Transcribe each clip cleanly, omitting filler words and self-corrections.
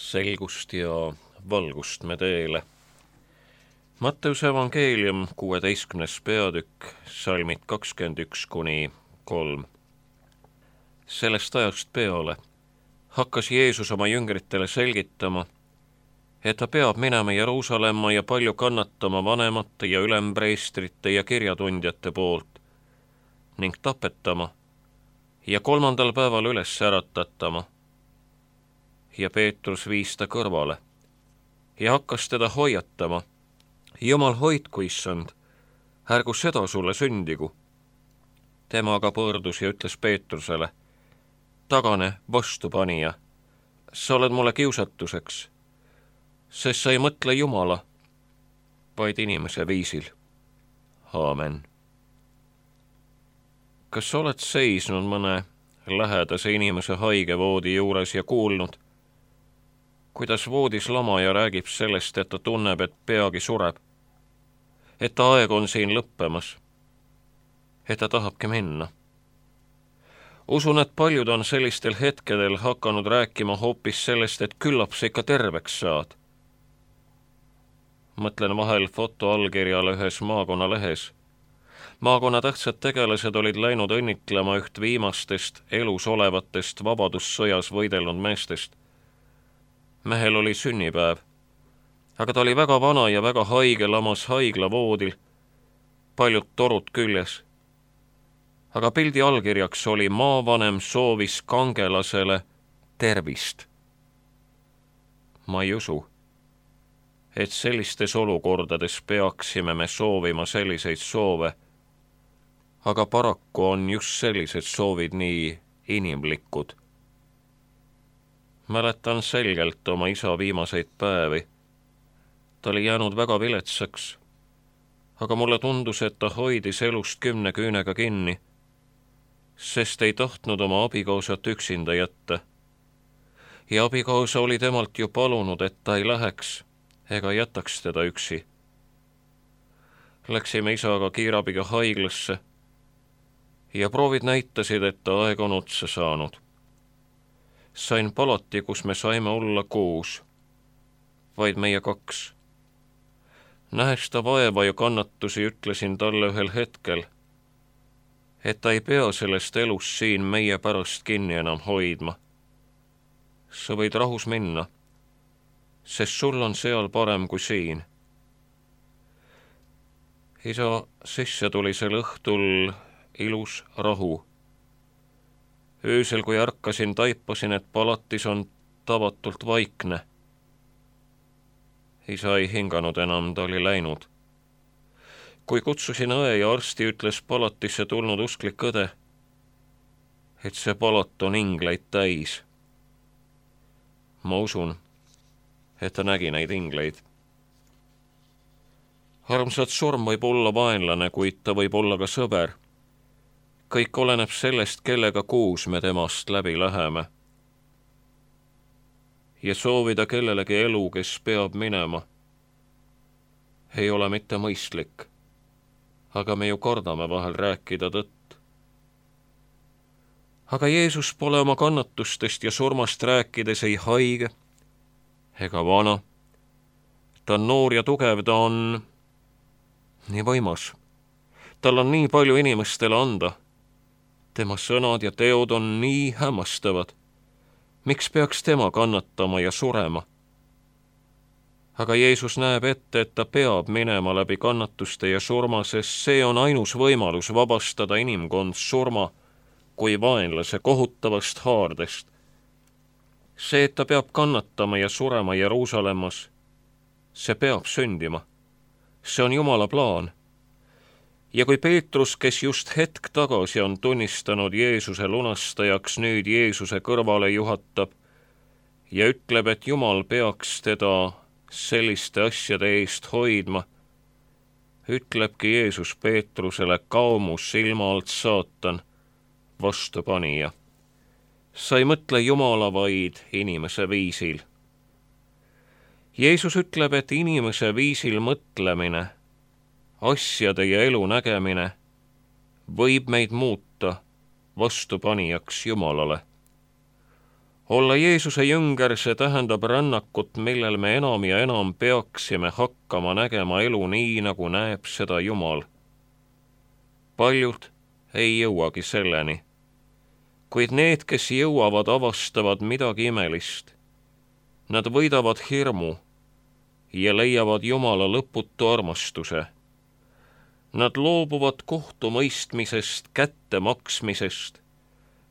selgust ja valgust me teele. Matteuse evangeelium 16. peatükk, salmid 21–3. Sellest ajast peale hakkas Jeesus oma jüngritele selgitama, et ta peab minema Jeruusalemma ja palju kannatama vanemate ja ülempreestrite ja kirjatundjate poolt ning tapetama ja 3. päeval üles äratatama. Ja Peetrus viis ta kõrvale ja hakkas teda hoiatama. Jumal hoidku, issand, ärgu seda sulle sündigu. Tema aga pöördus ja ütles Peetrusele, tagane, vastupanija, sa oled mulle kiusatuseks, sest sa ei mõtle Jumala, vaid inimese viisil. Aamen. Kas sa oled seisnud mõne lähedase inimese haigevoodi juures ja kuulnud, kuidas voodis lamaja räägib sellest, et ta tunneb, et peagi sureb, et ta aeg on siin lõppemas, et ta tahabki minna? Usun, et paljud on sellistel hetkedel hakanud rääkima hoopis sellest, et küllap sa ikka terveks saad. Mõtlen vahel fotoallkirjale ühes maakonnalehes. Maakonna tähtsad tegelased olid läinud õnnitlema üht viimastest elus olevatest vabadussõjas võidelnud meestest. Mehel oli sünnipäev, aga ta oli väga vana ja väga haige, lamas haiglavoodil, paljud torud küljes. Aga pildi allkirjaks oli maavanem soovis kangelasele tervist. Ma ei usu, et sellistes olukordades peaksime me soovima selliseid soove, aga paraku on just sellised soovid nii inimlikud. Mäletan selgelt oma isa viimaseid päevi. Ta oli jäänud väga viletsaks, aga mulle tundus, et ta hoidis elust 10 küünega kinni, sest ei tahtnud oma abikaasat üksinda jätta. Ja abikaasa oli temalt ju palunud, et ta ei läheks ega jätaks teda üksi. Läksime isaga kiirabiga haiglasse ja proovid näitasid, et ta aeg on otsa saanud. Sain palati, kus me saime olla 6, vaid meie 2. Nähes ta vaeva ja kannatusi, ütlesin talle ühel hetkel, et ta ei pea sellest elust siin meie pärast kinni enam hoidma. Sa võid rahus minna, sest sul on seal parem kui siin. Isa sisse tuli sel õhtul ilus rahu. Öösel, kui ärkasin, taipasin, et palatis on tavatult vaikne. Isa ei hinganud enam, ta oli läinud. Kui kutsusin õe ja arsti, ütles palatisse tulnud usklik õde, et see palat on ingleid täis. Ma usun, et ta nägi neid ingleid. Armsad, surm võib olla vaenlane, kuid ta võib olla ka sõber. Kõik oleneb sellest, kellega koos me temast läbi läheme. Ja soovida kellelegi elu, kes peab minema, ei ole mitte mõistlik, aga me ju kardame vahel rääkida tõtt. Aga Jeesus pole oma kannatustest ja surmast rääkides ei haige ega vana. Ta on noor ja tugev, ta on nii võimas. Tal on nii palju inimestele anda. Tema sõnad ja teod on nii hämmastavad. Miks peaks tema kannatama ja surema? Aga Jeesus näeb ette, et ta peab minema läbi kannatuste ja surma, sest see on ainus võimalus vabastada inimkond surma kui vaenlase kohutavast haardest. See, et ta peab kannatama ja surema Jeruusalemmas, see peab sündima. See on Jumala plaan. Ja kui Peetrus, kes just hetk tagasi on tunnistanud Jeesuse lunastajaks, nüüd Jeesuse kõrvale juhatab ja ütleb, et Jumal peaks teda selliste asjade eest hoidma, ütlebki Jeesus Peetrusele, kao mu silma alt, saatan, vastupanija. Sa ei mõtle Jumala, vaid inimese viisil. Jeesus ütleb, et inimese viisil mõtlemine, asjade ja elu nägemine võib meid muuta vastupanijaks Jumalale. Olla Jeesuse jünger, see tähendab rännakut, millel me enam ja enam peaksime hakkama nägema elu nii, nagu näeb seda Jumal. Paljud ei jõuagi selleni, kuid need, kes jõuavad, avastavad midagi imelist. Nad võidavad hirmu ja leiavad Jumala lõputu armastuse. Nad loobuvad kohtumõistmisest, kättemaksmisest.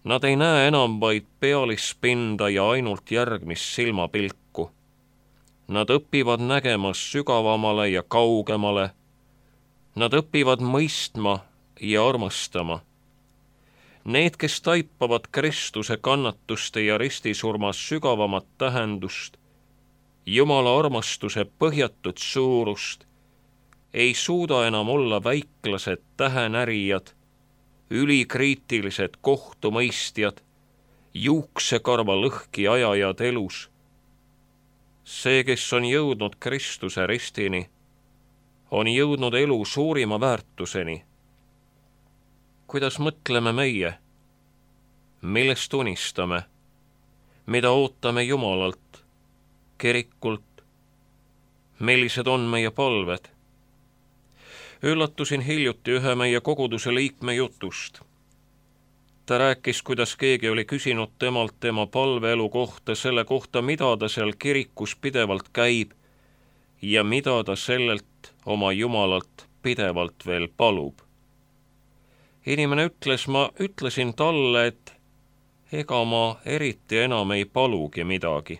Nad ei näe enam vaid pealispinda ja ainult järgmist silmapilku. Nad õpivad nägema sügavamale ja kaugemale. Nad õpivad mõistma ja armastama. Need, kes taipavad Kristuse kannatuste ja ristisurmas sügavamat tähendust, Jumala armastuse põhjatut suurust, ei suuda enam olla väiklased tähenärijad, ülikriitilised kohtumõistjad, juuksekarva lõhki ajajad elus. See, kes on jõudnud Kristuse ristini, on jõudnud elu suurima väärtuseni. Kuidas mõtleme meie? Millest unistame? Mida ootame Jumalalt, kirikult? Millised on meie palved? Üllatusin hiljuti ühe meie koguduse liikme jutust. Ta rääkis, kuidas keegi oli küsinud temalt tema palveelu kohta, selle kohta, mida ta seal kirikus pidevalt käib ja mida ta sellelt oma Jumalalt pidevalt veel palub. Inimene ütles, ma ütlesin talle, et ega ma eriti enam ei palugi midagi.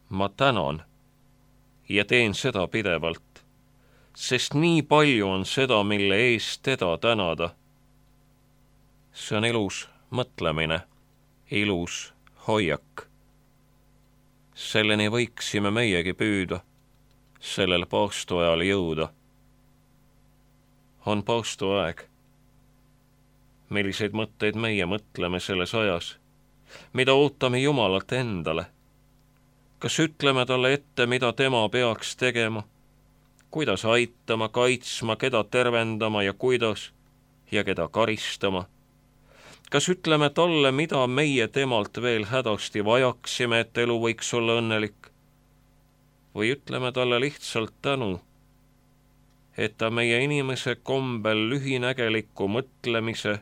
Ma tänan ja teen seda pidevalt, sest nii palju on seda, mille eest teda tänada. See on ilus mõtlemine, ilus hoiak. Selleni võiksime meiegi püüda, sellel paastoajal jõuda. On paastoaeg. Milliseid mõtteid meie mõtleme selles ajas? Mida ootame Jumalalt endale? Kas ütleme talle ette, mida tema peaks tegema? Kuidas aitama, kaitsma, keda tervendama ja kuidas ja keda karistama? Kas ütleme talle, mida meie temalt veel hädasti vajaksime, et elu võiks olla õnnelik? Või ütleme talle lihtsalt tänu, et ta meie inimese kombel lühinägeliku mõtlemise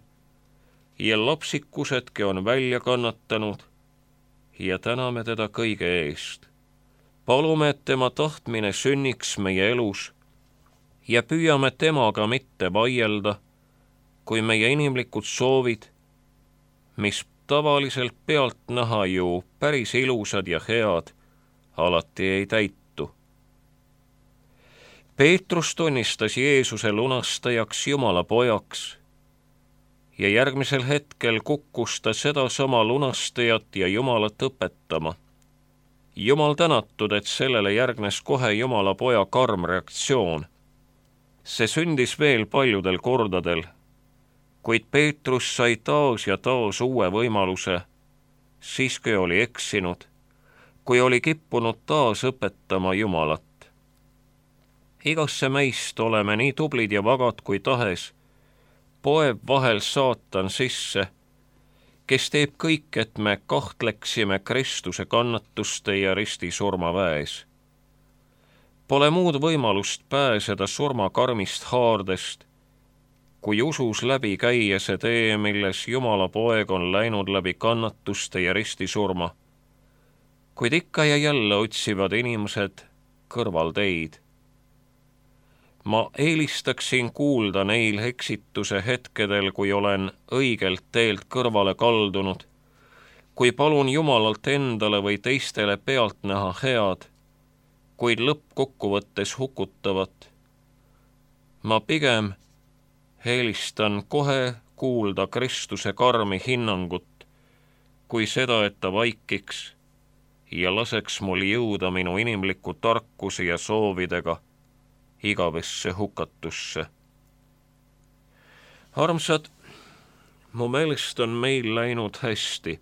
ja lapsikusedki on välja kannatanud ja täname teda kõige eest. Palume, et tema tahtmine sünniks meie elus ja püüame temaga mitte vaielda, kui meie inimlikud soovid, mis tavaliselt pealtnäha ju päris ilusad ja head, alati ei täitu. Peetrus tunnistas Jeesuse lunastajaks, Jumala pojaks ja järgmisel hetkel kukkus ta sedasama lunastajat ja Jumalat õpetama. Jumal tänatud, et sellele järgnes kohe Jumala poja karm reaktsioon. See sündis veel paljudel kordadel, kuid Peetrus sai taas ja taas uue võimaluse, siis kui oli eksinud, kui oli kippunud taas õpetama Jumalat. Igasse meist oleme nii tublid ja vagad kui tahes, poeb vahel saatan sisse, kes teeb kõik, et me kahtleksime Kristuse kannatuste ja ristisurma väes. Pole muud võimalust pääseda surmakarmist haardest, kui usus läbi käia see tee, milles Jumala poeg on läinud läbi kannatuste ja ristisurma, kuid ikka ja jälle otsivad inimesed kõrvalteid. Ma eelistaksin kuulda neil eksituse hetkedel, kui olen õigelt teelt kõrvale kaldunud, kui palun Jumalalt endale või teistele pealt näha head, kuid lõppkokkuvõttes hukutavat. Ma pigem eelistan kohe kuulda Kristuse karmi hinnangut, kui seda, et ta vaikiks ja laseks mul jõuda minu inimliku tarkuse ja soovidega igavesse hukatusse. Armsad, mu meelest on meil läinud hästi.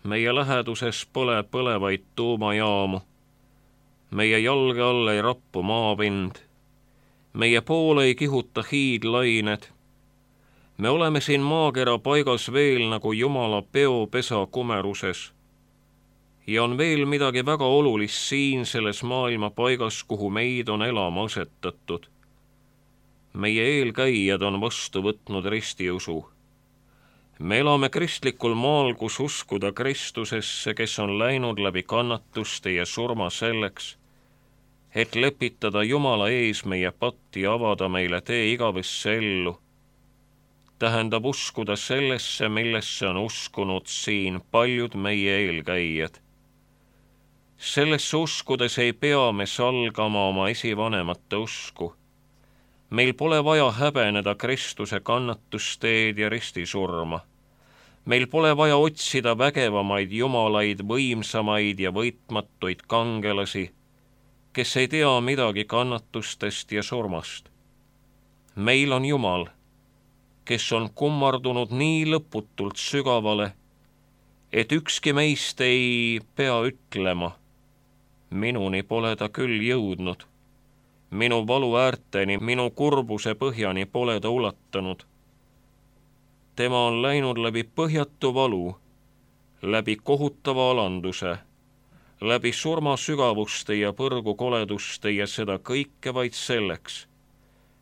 Meie läheduses pole põlevaid tuumajaamu. Meie jalge all ei rappu maapind. Meie poole ei kihuta hiidlained. Me oleme siin maakera paigas veel nagu Jumala peopesa kumeruses. Ja on veel midagi väga olulist siin selles maailma paigas, kuhu meid on elama asetatud. Meie eelkäijad on vastu võtnud ristiusu. Me elame kristlikul maal, kus uskuda Kristusesse, kes on läinud läbi kannatuste ja surma selleks, et lepitada Jumala ees meie patti ja avada meile tee igavesse ellu, tähendab uskuda sellesse, millesse on uskunud siin paljud meie eelkäijad. Sellesse uskudes ei pea me salgama oma esivanemate usku. Meil pole vaja häbeneda Kristuse kannatusteed ja ristisurma. Meil pole vaja otsida vägevamaid jumalaid, võimsamaid ja võitmatuid kangelasi, kes ei tea midagi kannatustest ja surmast. Meil on Jumal, kes on kummardunud nii lõputult sügavale, et ükski meist ei pea ütlema, minuni pole ta küll jõudnud, minu valu äärteni, minu kurbuse põhjani pole ta ulatanud. Tema on läinud läbi põhjatu valu, läbi kohutava alanduse, läbi surma sügavuste ja põrgu koleduste ja seda kõike vaid selleks,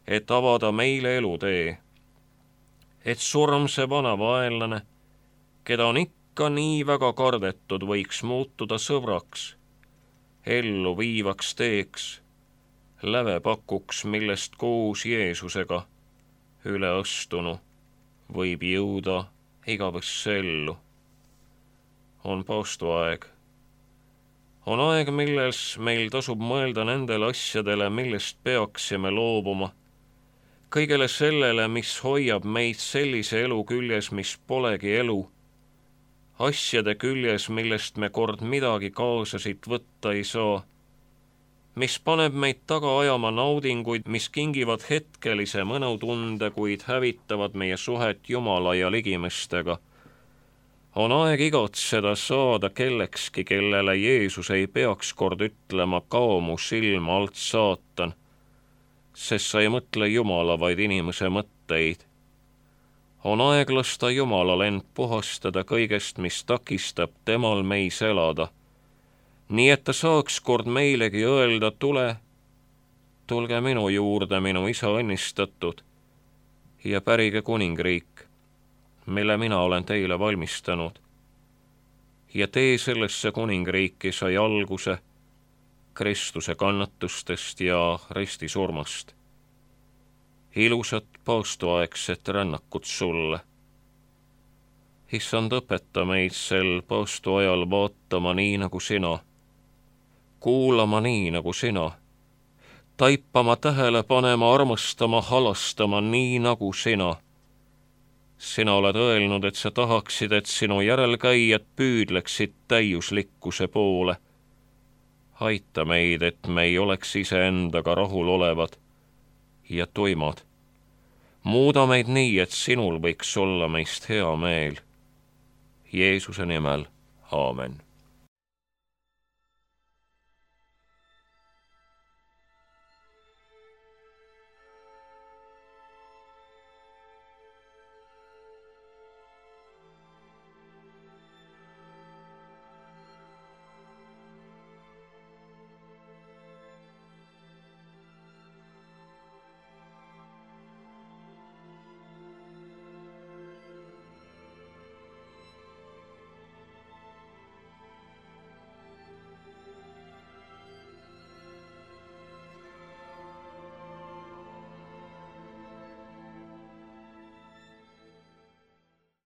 et avada meile elutee, et surmse vana vaenlane, keda on ikka nii väga kardetud, võiks muutuda sõbraks, ellu viivaks teeks, lävepakuks, millest koos Jeesusega üle astunu võib jõuda igavesse ellu. On paastuaeg. On aeg, milles meil tasub mõelda nendele asjadele, millest peaksime loobuma, kõigele sellele, mis hoiab meid sellise elu küljes, mis polegi elu, asjade küljes, millest me kord midagi kaasa siit võtta ei saa, mis paneb meid taga ajama naudinguid, mis kingivad hetkelise mõnutunde, kuid hävitavad meie suhet Jumala ja ligimestega. On aeg igatseda saada kellekski, kellele Jeesus ei peaks kord ütlema, kao mu silma alt, saatan, sest sa ei mõtle Jumala, vaid inimese mõtteid. On aeg lasta Jumalal end puhastada kõigest, mis takistab temal meis elada, nii et ta saaks kord meilegi öelda, tulge minu juurde, minu isa õnnistatud, ja pärige kuningriik, mille mina olen teile valmistanud. Ja tee sellesse kuningriiki sai alguse Kristuse kannatustest ja ristisurmast. Ilusat paastuaegset rännakut sulle. Issand, õpeta meid sel paastuajal vaatama nii nagu sina, kuulama nii nagu sina, taipama, tähele panema, armastama, halastama nii nagu sina. Sina oled öelnud, et sa tahaksid, et sinu järelkäijad püüdleksid täiuslikkuse poole. Aita meid, et me ei oleks iseendaga rahul olevad ja tuimad. Muuda meid nii, et sinul võiks olla meist hea meel. Jeesuse nimel, aamen.